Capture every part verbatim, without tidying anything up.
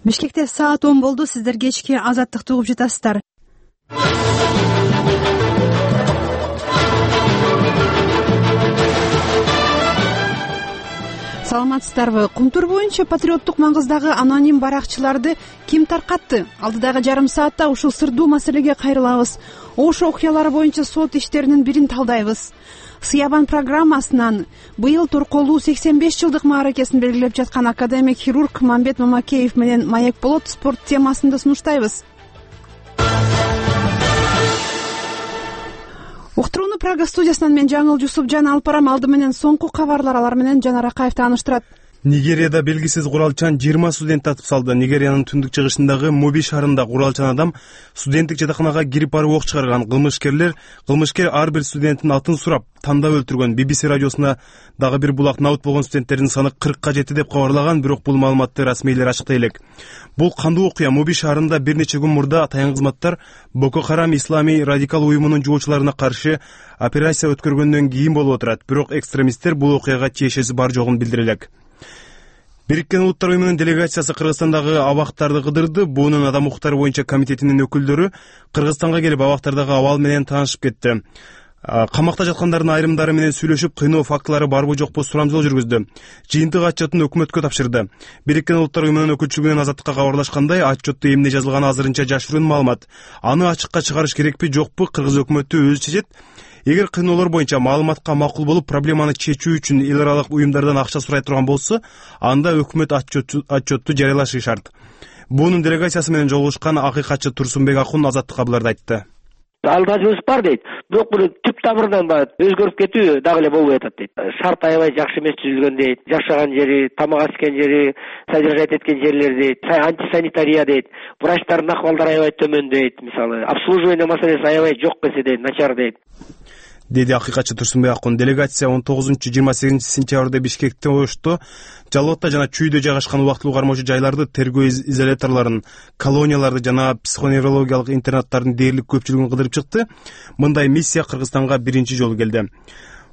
Бишкекте саат он болду. Сиздер кечки Азаттыкты угуп жатасыздар. Саламатсыздарбы? Кумтур боюнча патриоттук маңгыздагы аноним баракчыларды ким таркатты? Алдыдагы жарым саатта ушул сырдуу маселеге кайрылабыз. Ош окуялары боюнча сот иштеринин бирин талдайбыз. Сыябан программасынан быйыл торколуу сексен беш жылдык мааракесин белгилеп жаткан академик хирург Мамбет Мамакеев менен Маек болот спорт темасында сунуштайбыз. Уктурууну Прага студиясынан мен Жаңыл Жусупжан алып барам. Алды менен соңку кабарлар, алар менен Жанар Акаев тааныштырат. Нигерияда белгисиз куралчан жыйырма студентти атып салды. Нигериянын түндүк чыгышындагы Моби шаарында куралчан адам студенттик жатаканага кирип барып ок чыгарган. Кылмышкерлер кылмышкер ар бир студенттин атын сурап, тандап өлтүргөн. би би си радиосуна дагы бир булак наут болгон студенттердин саны кыркка жетти деп кабарлаган, бирок бул маалыматты расмийлер ачыктай элек. Бул кандуу окуя? Моби шаарында бир нече күн мурда таян кызматтар Боко Харам исламий радикал уюмунун жуучуларына каршы операция өткөргөндөн кийин болуп отурат. Бирок экстремисттер бул окуяга тиешеси бар жогун билдире элек. Бириккен Улуттар уюмунун делегациясы Кыргызстандагы абактарды кыдырды. Буунун адам укуктары боюнча комитетинин өкүлдөрү Кыргызстанга келип абактардагы абал менен таанышып кетти. Камакта жаткандардын айрымдары менен сүйлөшүп, кыйноо фактылары барбы жокпу сурамжылоо жүргүздү. Жыйынтык отчетун өкмөткө тапшырды. Бириккен Улуттар уюмунун өкүлчүлүгүнөн Азаттыкка кабарлашкандай, отчетто эмне жазылганы азырынча жашыруун маалымат. Аны ачыкка чыгарыш керекпи, жокпу, кыргыз өкмөтү өзү чечет. Эгер кыйноолор боюнча маалыматка макул болуп, проблеманы чечүү үчүн эл аралык уюмдардан акча сурай турган болсо, анда өкмөт отчетту жарыялашы шарт. Буунун делегациясы менен жолугушкан акыйкатчы Турсунбек Акун Азаттыкка буларды айтты. Алгачыбыз бар дейт. Бирок бул түп тамырынан баягы өзгөрүп кетүү дагы эле болбой атат дейт. Шарт аябай жакшы эмес түзүлгөн дейт. Жашаган жери, тамак ичкен жери, содержать эткен жерлер дейт. Антисанитария дейт. Врачтардын акыбалдары аябай төмөн дейт. Мисалы, обслуживание маселеси аябай жок эсе дейт, начар дейт. Деди акыйкатчы Турсунбек Акун. Делегация он тогузунчу жыйырма сегизинчи сентябрда Бишкекте, Ошто, Жалотто жана Чүйдө жайгашкан убактылуу кармоочу жайларды, тергөө изоляторлорун, колонияларды жана психоневрологиялык интернаттардын дээрлик көпчүлүгүн кыдырып чыкты. Мындай миссия Кыргызстанга биринчи жолу келди.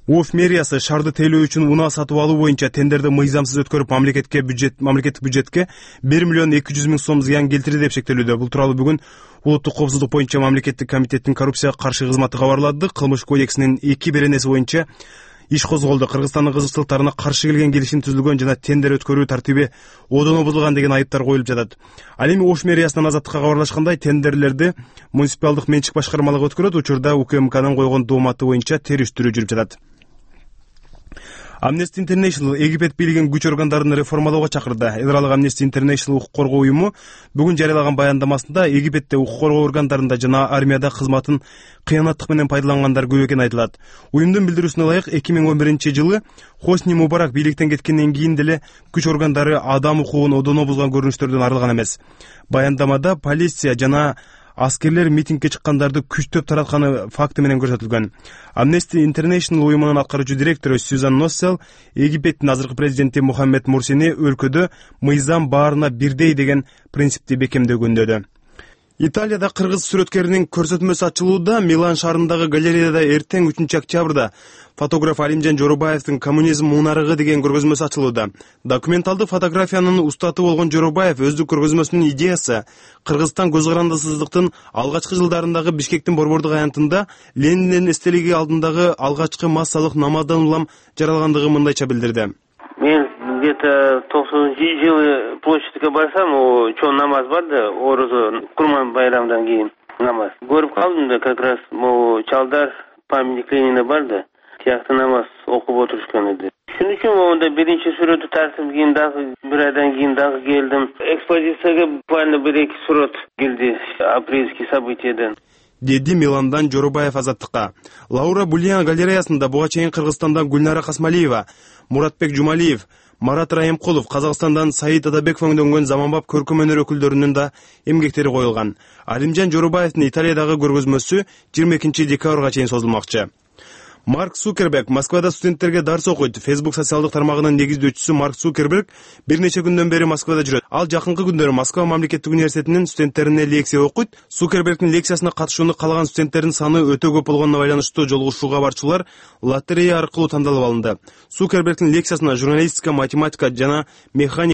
Уф мэриясы шаарды тейлөө үчүн унаа сатып алуу боюнча тендерди мыйзамсыз өткөрүп, мамлекетке бюджет мамлекеттик бюджетке бир миллион эки жүз миң сом зыян келтирди деп шектелүүдө. Бул тууралуу бүгүн Улуттук коопсуздук боюнча мамлекеттик комитеттин коррупцияга каршы кызматы кабарлады. Кылмыш кодексинин эки беренеси боюнча иш козголду. Кыргызстандын кызыкчылыктарына каршы келген келишим түзүлгөн жана тендер өткөрүү тартиби одоно бузулган деген айыптар коюлуп жатат. Ал эми Ош мэриясынан Азаттыкка кабарлашкандай, тендерлерди муниципалдык менчик башкармалыгы өткөрөт. Учурда УКМКнын койгон дооматы боюнча териштирүү жүрүп жатат. Amnesty International Египет бийлигин күч органдарын реформалоого чакырды. Эл аралык Amnesty International укук коргоо уюму бүгүн жарыялаган баяндамасында Египетте укук коргоо органдарында жана армияда кызматын кыянаттык менен пайдалангандар көп экени айтылат. Уюмдун билдирүүсүнө ылайык, эки миң он биринчи жылы Хосни Мубарак бийликтен кеткенден кийин деле күч органдары адам укугун одоно бузган көрүнүштөрдөн арылган эмес. Баяндамада полиция жана аскерлер митингге чыккандарды күчтөп таратканы факты менен көрсөтүлгөн. Amnesty International уюмунун аткаруучу директору Сюзан Носсел Египеттин азыркы президенти Мухаммед Мурсини өлкөдө мыйзам баарына бирдей деген принципти бекемдөгөндөдү. Италияда кыргыз сүрөткеринин көрсөтмөсү ачылууда. Милан шаарындагы галереяда эртең үчүнчү октябрда фотограф Алимжан Жоробаевдин «Коммунизм мунарыгы» деген көргөзмөсү ачылууда. Документалдык фотографиянын устаты болгон Жоробаев өздүк көргөзмөсүнүн идеясы Кыргызстан көз карандысыздыктын алгачкы жылдарындагы Бишкектин борбордук аянтында Лениндин эстелиги алдындагы алгачкы массалык намаздан улам жаралгандыгы мындайча билдирди. Мен где-то токсонунчу жылы площадьке барсам, чоң намаз бар да, орозо Курман байрамдан кийин намаз. Көрүп калдым да, как раз могу чалдар памятник Ленина бар да, тиякты намаз окуп отурушкан эди. Шуның үчүн онда биринчи сүрөтү тартып кийин дагы бир айдан кийин дагы келдим. Экспозицияга буквально бир эки сүрөт келди апрельский событиядан. Деди Миландан Жоробаев Азаттыкка. Лаура Бульян галереясында буга чейин Кыргызстандан Гүлнара Касмалиева, Муратбек Жумалиев, Марат Райымкулов, Казакстандан Саид Атабеков өңдөнгөн заманбап көркөм өнөр өкүлдөрүнүн да эмгектери коюлган. Алимжан Жоробаевдин Италиядагы көргөзмөсү жыйырма экинчи декабрга чейин созулмакчы. Марк Цукерберг Москвада студенттерге дарс окуйт. Facebook социалдык тармагынын негиздөөчүсү Марк Цукерберг бир нече күндөн бери Москвада жүрөт. Ал жакынкы күндөрү Москва мамлекеттик университетинин студенттерине лекция окуйт. Цукербергдин лекциясына катышууну каалаган студенттердин саны өтө көп болгонуна байланыштуу жолугушууга барчулар лотерея аркылуу тандалып алынды. Цукербергдин лекциясына журналистика, математика жана механика